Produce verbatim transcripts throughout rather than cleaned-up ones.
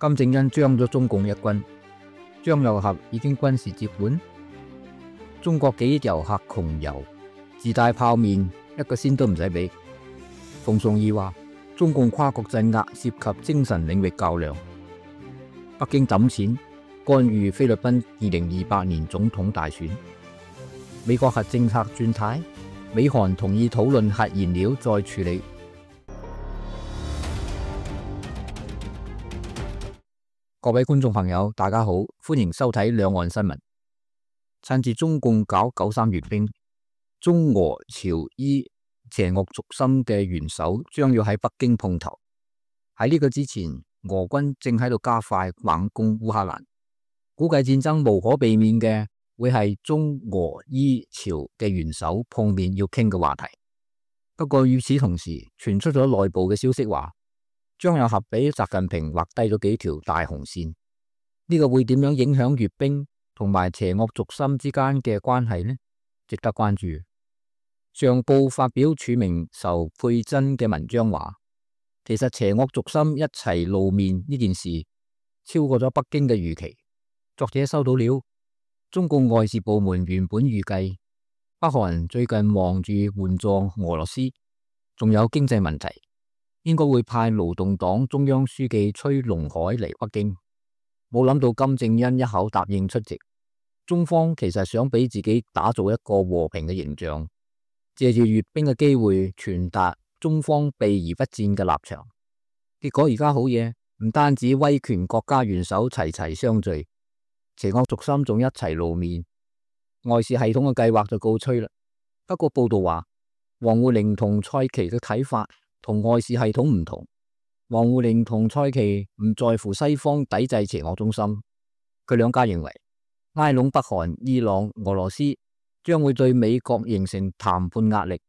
金正恩將咗中共一軍，張又俠已經軍事接管。中國幾億遊客窮遊，自帶泡麵一個仙都唔使俾。馮崇義話中共跨國鎮壓涉及精神領域較量。北京抌錢干預菲律賓二零二八年總統大選。美國核政策轉軚，美韓同意討論核燃料再處理。各位觀眾朋友，大家好，歡迎收睇兩岸新聞。趁住中共搞九三閱兵，中俄朝伊邪惡軸心嘅元首將要喺北京碰頭。喺呢個之前，俄軍正喺度加快猛攻烏克蘭，估計戰爭無可避免嘅會係中俄伊朝嘅元首碰面要傾嘅話題。不過與此同時，傳出咗內部嘅消息話，張又俠俾習近平畫低咗幾條大紅線，呢個會點樣影響閱兵同埋邪惡軸心之間嘅關係呢？值得關注。上報發表署名仇佩珍嘅文章話，其實邪惡軸心一齊露面呢件事超過咗北京嘅預期。作者收到了，中共外事部門原本預計北韓最近忙住援助俄羅斯，仲有經濟問題，應該會派勞動黨中央書記崔龍海嚟北京。冇諗到金正恩一口答應出席。中方其實想俾自己打造一個和平嘅形象，借住閱兵嘅機會傳達中方避而不戰嘅立場。結果而家好嘢，唔單止威權國家元首齊齊相聚，邪惡軸心仲一齊露面，外事系統嘅計劃就告吹啦。不過報道話，王滬寧同蔡奇嘅睇法同外事系統唔同。王滬寧同蔡奇唔在乎西方抵制邪惡中心，佢兩家認為拉攏北韓、伊朗、俄羅斯將會對美國形成談判壓力。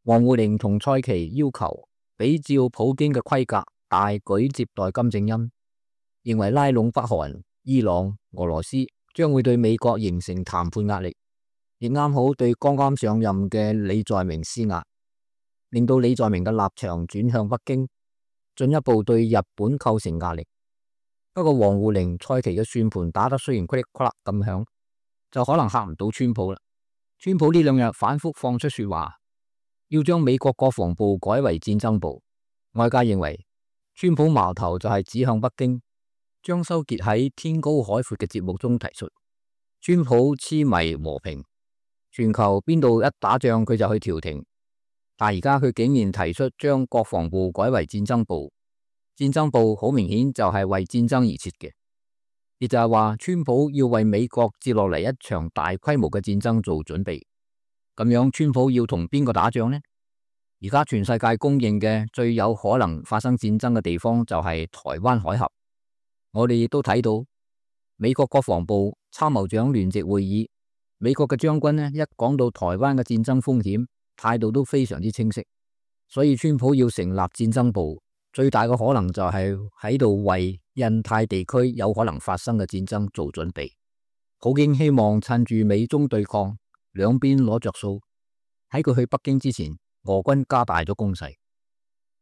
王滬寧同蔡奇要求比照普京嘅規格大舉接待金正恩，認為拉攏北韓、伊朗、俄羅斯將會對美國形成談判壓力，亦啱好對剛剛上任嘅李在明施壓，令到李在明嘅立場轉向北京，進一步對日本構成壓力。不過王滬寧、蔡奇嘅算盤打得雖然噼里啪啦咁響，就可能嚇唔到川普啦。川普呢兩日反覆放出說話，要將美國國防部改為戰爭部。外界認為川普矛頭就係指向北京。張修傑喺天高海闊嘅節目中提出，川普痴迷和平，全球邊度一打仗佢就去調停。但而家佢竟然提出將國防部改為戰爭部。戰爭部好明顯就係為戰爭而設嘅，亦就係話川普要為美國接落嚟一場大規模嘅戰爭做準備。咁樣川普要同邊個打仗呢？而家全世界公認嘅最有可能發生戰爭嘅地方就係台灣海峽。我哋亦都睇到美國國防部參謀長聯席會議，美國嘅將軍呢一講到台灣嘅戰爭風險，態度都非常之清晰。所以川普要成立戰爭部，最大嘅可能就係喺度為印太地區有可能發生嘅戰爭做準備。普京希望趁住美中對抗，兩邊攞着數，喺佢去北京之前，俄軍加大咗攻勢。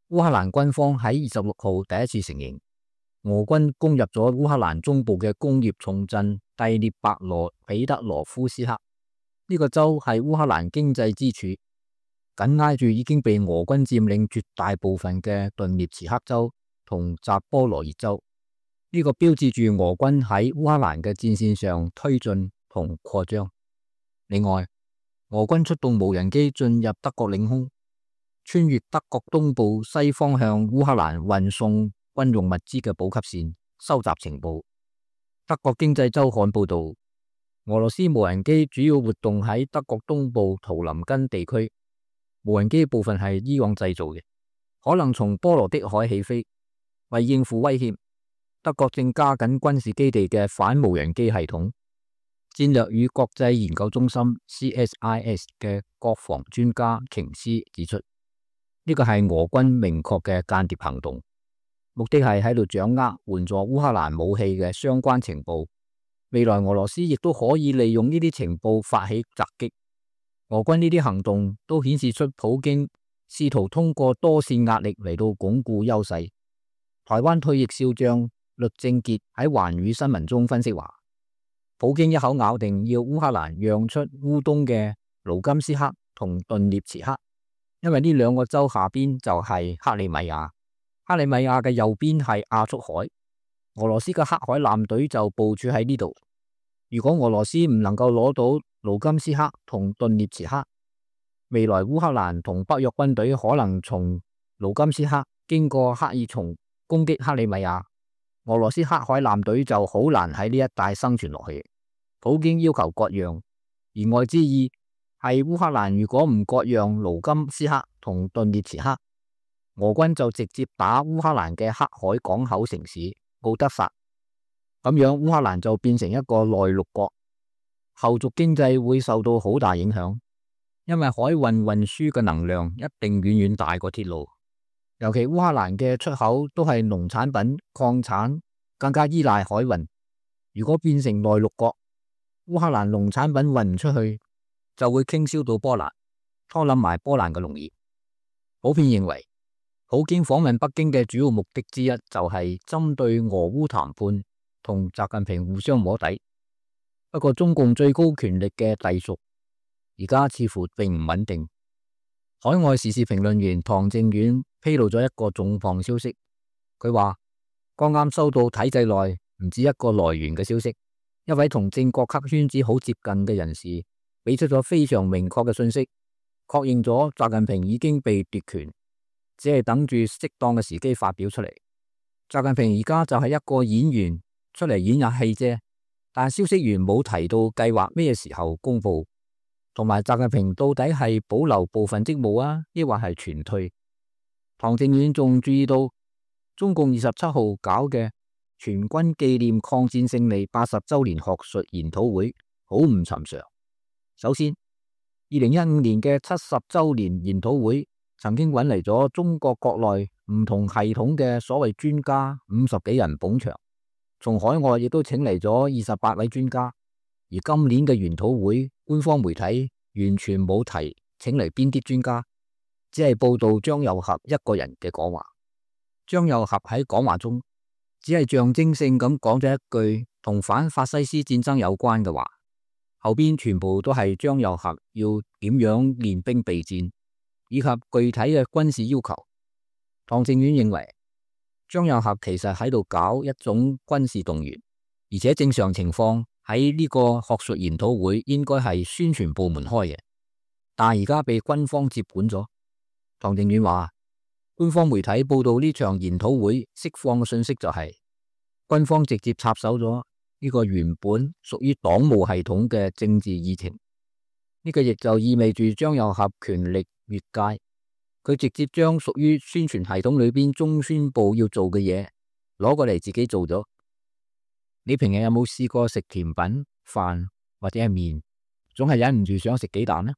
烏克蘭軍方喺二十六號第一次承認，俄軍攻入咗烏克蘭中部嘅工業重鎮第聶伯羅彼得羅夫斯克。呢個州係烏克蘭經濟支柱，緊挨住已經被俄軍佔領絕大部分嘅頓涅茨克州同扎波羅熱州。呢個標誌住俄軍喺烏克蘭嘅戰線上推進同擴張。另外，俄軍出動無人機進入德國領空，穿越德國東部西方向烏克蘭運送軍用物資嘅補給線，收集情報。德國經濟週刊報道，俄羅斯無人機主要活動喺德國東部圖林根地區。無人機部分係伊朗製造嘅，可能從波羅的海起飛。為應付威脅，德國正加緊軍事基地嘅反無人機系統。戰略與國際研究中心 C S I S 嘅國防專家瓊斯指出，呢個係俄軍明確嘅間諜行動，目的係喺度掌握援助烏克蘭武器嘅相關情報。未來俄羅斯亦都可以利用呢啲情報發起襲擊。俄軍呢啲行動都顯示出普京試圖通過多線壓力嚟到鞏固優勢。台灣退役少將律正傑喺環宇新聞中分析話，普京一口咬定要烏克蘭讓出烏東嘅盧甘斯克同頓涅茨克，因為呢兩個州下邊就係克里米亞，克里米亞嘅右邊係亞速海，俄羅斯嘅黑海艦隊就部署喺呢度。如果俄羅斯唔能夠攞到盧甘斯克同頓涅茨克，未來烏克蘭同北約軍隊可能從盧甘斯克經過克爾松攻擊克里米亞，俄羅斯黑海艦隊就好難喺呢一帶生存落去。普京要求割讓，言外之意係烏克蘭如果唔割讓盧甘斯克同頓涅茨克，俄軍就直接打烏克蘭嘅黑海港口城市敖德薩，咁樣烏克蘭就變成一個內陸國，後續經濟會受到好大影響，因為海運運輸嘅能量一定遠遠大過鐵路，尤其烏克蘭嘅出口都係農產品、礦產，更加依賴海運。如果變成內陸國，烏克蘭農產品運唔出去，就會傾銷到波蘭，拖冧埋波蘭嘅農業。普遍認為，普京訪問北京嘅主要目的之一就係針對俄烏談判同習近平互相摸底。不過中共最高權力嘅隸屬而家似乎並唔穩定。海外時事評論員唐正遠披露咗一個重磅消息，佢話剛啱收到體制內唔止一個來源嘅消息，一位同正國級圈子好接近嘅人士俾出咗非常明確嘅信息，確認咗習近平已經被奪權，只係等住適當嘅時機發表出嚟。習近平而家就係一個演員出嚟演下戲啫，但消息源冇提到計劃咩時候公布，同埋習近平到底係保留部分職務啊，抑或係全退。唐正遠仲注意到中共二十七號搞嘅全軍紀念抗戰勝利八十周年學術研討會好唔尋常。首先，二零一五年嘅七十周年研討會曾經揾嚟咗中國國內唔同系統嘅所謂專家五十幾人捧場，從海外亦都請嚟咗二十八位專家。而今年嘅研討會，官方媒體完全冇提請嚟邊啲專家，只係報道張又俠一個人嘅講話。張又俠喺講話中只係象徵性咁講咗一句同反法西斯戰爭有關嘅話，後邊全部都係張又俠要點樣練兵備戰以及具體嘅軍事要求。唐正遠認為張又俠其實喺度搞一種軍事動員，而且正常情況喺呢個學術研討會應該係宣傳部門開嘅，但係而家被軍方接管咗。唐正遠話，官方媒體報道呢場研討會釋放嘅信息就係、是、軍方直接插手咗呢個原本屬於黨務系統嘅政治議程。呢、這個亦就意味住張又俠權力越界，佢直接將屬於宣傳系統裏邊中宣部要做嘅嘢攞過嚟自己做咗。你平日有冇試過食甜品、飯或者係麵，總係忍唔住想食幾啖呢？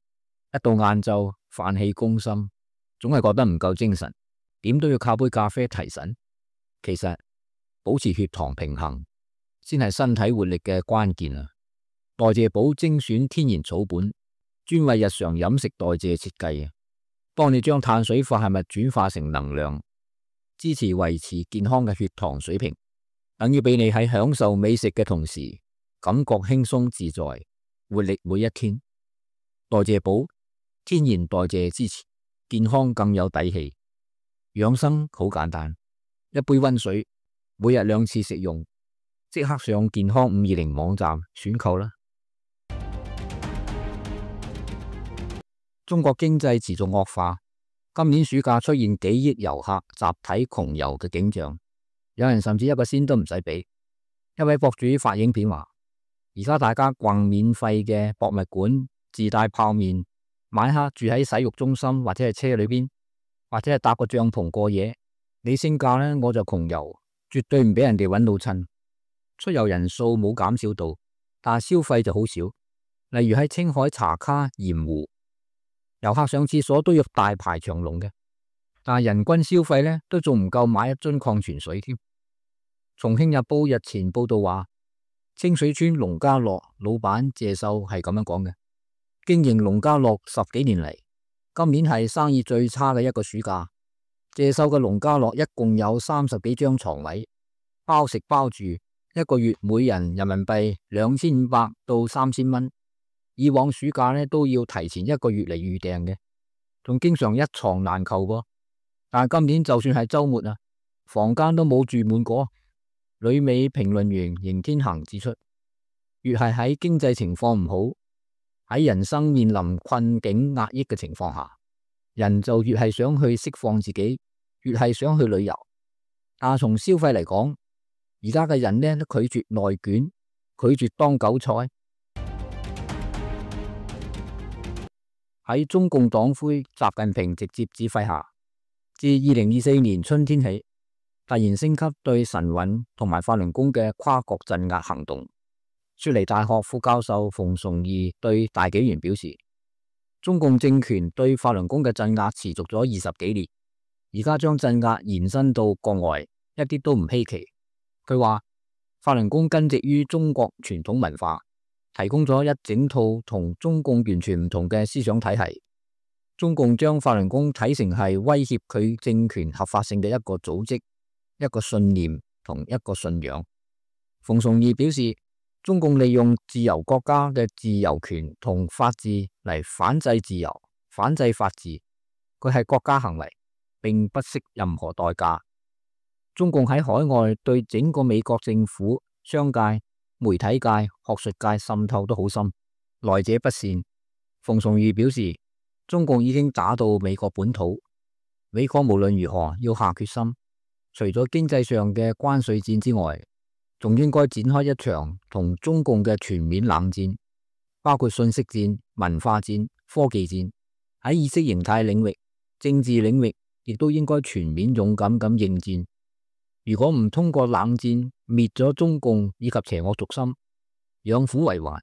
一到晏晝飯氣攻心，總係覺得唔夠精神，點都要靠杯咖啡提神。其實保持血糖平衡先係身體活力嘅關鍵啊！代謝寶精選天然草本，專為日常飲食代謝設計啊，幫你將碳水化合物轉化成能量，支持維持健康嘅血糖水平。等於俾你喺享受美食嘅同時，感覺輕鬆自在，活力每一天。代謝寶，天然代謝支持，健康更有底氣。養生好簡單，一杯溫水，每日兩次食用，即刻上健康五二零網站選購啦。中國經濟持續惡化，今年暑假出現幾億遊客集體窮遊嘅景象。有人甚至一個仙都唔使俾。一位博主發影片話，而家大家逛免費嘅博物館，自帶泡麵，晚黑住喺洗浴中心或者係車裏邊，或者係搭個帳篷過夜。你升價呢，我就窮遊，絕對唔俾人哋揾到襯。出遊人數冇減少到，但係消費就好少。例如喺青海茶卡鹽湖，遊客上廁所都要大排長龍嘅，但係人均消費呢都仲唔夠買一樽礦泉水添。重慶日報日前報道話，清水村農家樂老闆謝秀係咁樣講嘅：經營農家樂十幾年嚟，今年係生意最差嘅一個暑假。謝秀嘅農家樂一共有三十幾張床位，包食包住，一個月每人人民幣兩千五百到三千蚊。以往暑假呢都要提前一個月嚟預訂嘅，仲經常一床難求噃。但係今年就算係周末啊，房間都冇住滿過。旅美評論員邢天恒指出，越係喺經濟情況唔好，喺人生面臨困境壓抑嘅情況下，人就越係想去釋放自己，越係想去旅遊。但係從消費嚟講，而家嘅人呢都拒絕內卷，拒絕當韭菜。喺中共黨魁習近平直接指揮下，自二零二四年春天起，突然升級對晨運同埋法輪功嘅跨國鎮壓行動。雪梨大學副教授馮崇義對大紀元表示，中共政權對法輪功嘅鎮壓持續咗二十幾年，而家將鎮壓延伸到國外，一啲都唔稀奇。佢話法輪功根植於中國傳統文化，提供咗一整套同中共完全唔同嘅思想體系。中共將法輪功睇成係威脅佢政權合法性嘅一個組織、一個信念同一個信仰。馮崇義表示，中共利用自由國家嘅自由權同法治嚟反制自由、反制法治，佢係國家行為，並不惜任何代價。中共喺海外對整個美國政府、商界、媒體界、學術界滲透都好深，來者不善。馮崇義表示，中共已經打到美國本土，美國無論如何要下決心，除咗經濟上嘅關稅戰之外，仲應該展開一場同中共嘅全面冷戰，包括信息戰、文化戰、科技戰，喺意識形態領域、政治領域，亦都應該全面勇敢咁應戰。如果唔通過冷戰滅咗中共以及邪惡軸心，養虎為患，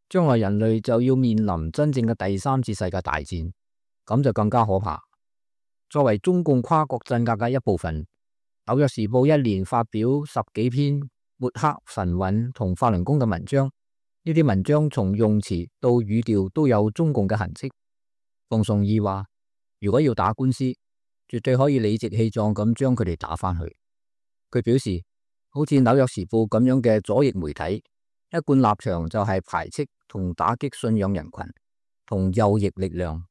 將來人類就要面臨真正嘅第三次世界大戰，咁就更加可怕。作為中共跨國鎮壓嘅一部分，紐約時報一連發表十幾篇抹黑晨運同法輪功嘅文章，呢啲文章從用詞到語調都有中共嘅痕跡。馮崇義話，如果要打官司，絕對可以理直氣壯咁將佢哋打返去。佢表示，好似紐約時報咁樣嘅左翼媒體，一貫立場就係排斥同打擊信仰人群同右翼力量。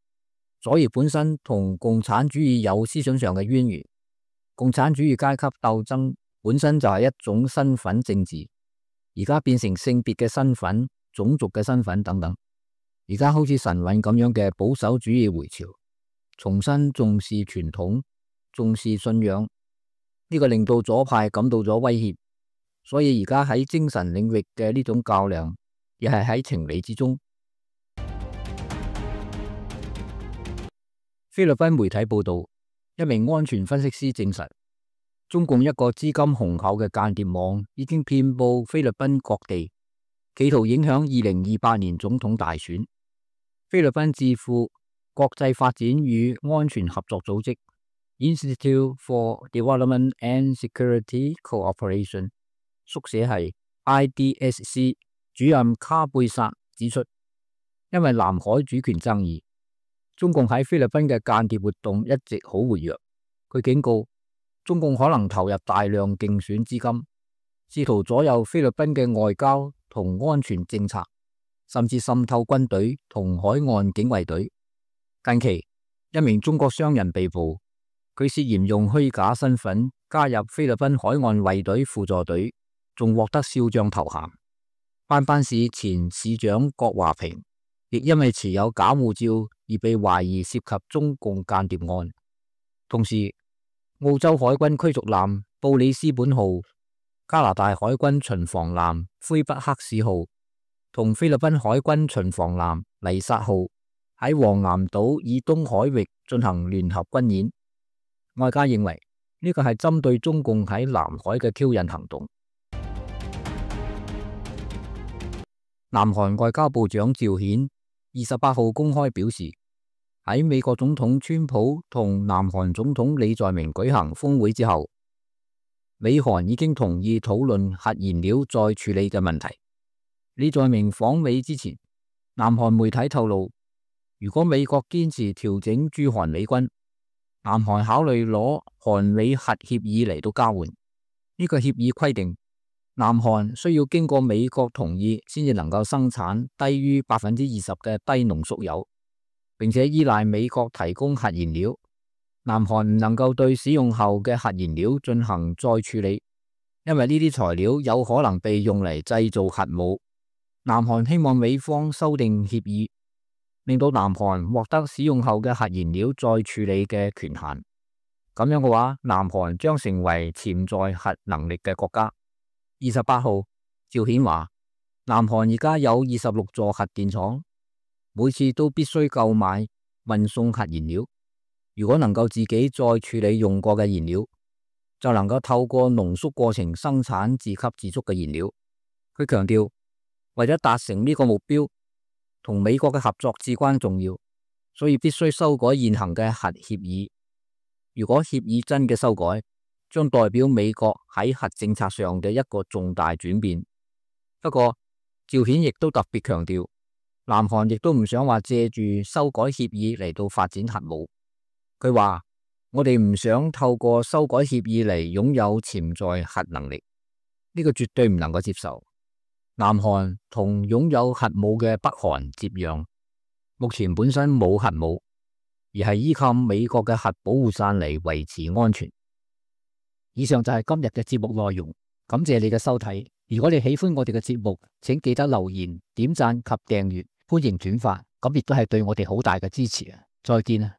左翼本身同共產主義有思想上嘅淵源，共產主義階級鬥爭本身就係一種身份政治，而家變成性別嘅身份、種族嘅身份等等。而家好似晨運咁樣嘅保守主義回潮，重新重視傳統、重視信仰。呢個令到左派感到咗威脅，所以而家喺精神領域嘅呢種較量，亦係喺情理之中。菲律賓媒體報道，一名安全分析師證實，中共一個資金雄厚嘅間諜網已經遍佈菲律賓各地，企圖影響二零二八年總統大選。菲律賓智庫國際發展與安全合作組織Institute for Development and Security Cooperation 縮寫係 I D S C 主任卡貝薩指出，因為南海主權爭議，中共喺菲律賓嘅間諜活動一直好活躍。佢警告，中共可能投入大量競選資金，試圖左右菲律賓嘅外交同安全政策，甚至滲透軍隊同海岸警衛隊。近期，一名中國商人被捕。佢涉嫌用虛假身份加入菲律賓海岸衛隊輔助隊，仲獲得少將頭銜。班班市前市長郭華平亦因為持有假護照而被懷疑涉及中共間諜案。同時，澳洲海軍驅逐艦布里斯本號、加拿大海軍巡防艦魁北克市號同菲律賓海軍巡防艦黎薩號喺黃岩島以東海域進行聯合軍演。外界認為呢個係針對中共喺南海嘅挑釁行動。南韓外交部長趙顯二十八號公開表示，喺美國總統川普同南韓總統李在明舉行峰會之後，美韓已經同意討論核燃料再處理嘅問題。李在明訪美之前，南韓媒體透露，如果美國堅持調整駐韓美軍，南韓考慮攞韓美核協議嚟到交換，呢個協議規定，南韓需要經過美國同意先至能夠生產低於百分之二十嘅低濃縮鈾，並且依賴美國提供核燃料。南韓唔能夠對使用後嘅核燃料進行再處理，因為呢啲材料有可能被用嚟製造核武。南韓希望美方修訂協議，令到南韓獲得使用後嘅核燃料再處理嘅權限。咁樣嘅話，南韓將成為潛在核能力嘅國家。二十八號，趙顯話，南韓而家有二十六座核電廠，每次都必須購買運送核燃料。如果能夠自己再處理用過嘅燃料，就能夠透過濃縮過程生產自給自足嘅燃料。佢強調，為咗達成呢個目標，同美國嘅合作至關重要，所以必須修改現行嘅核協議。如果協議真嘅修改，將代表美國喺核政策上嘅一個重大轉變。不過，趙顯亦都特別強調，南韓亦都唔想話借住修改協議嚟到發展核武。佢話：我哋唔想透過修改協議嚟擁有潛在核能力，呢個絕對唔能夠接受。南韓同擁有核武嘅北韓接壤，目前本身冇核武，而係依靠美國嘅核保護傘嚟維持安全。以上就係今日嘅節目內容，感謝你嘅收睇。如果你喜歡我哋嘅節目，請記得留言、點讚及訂閱，歡迎轉發，咁亦都係對我哋好大嘅支持啊！再見啊！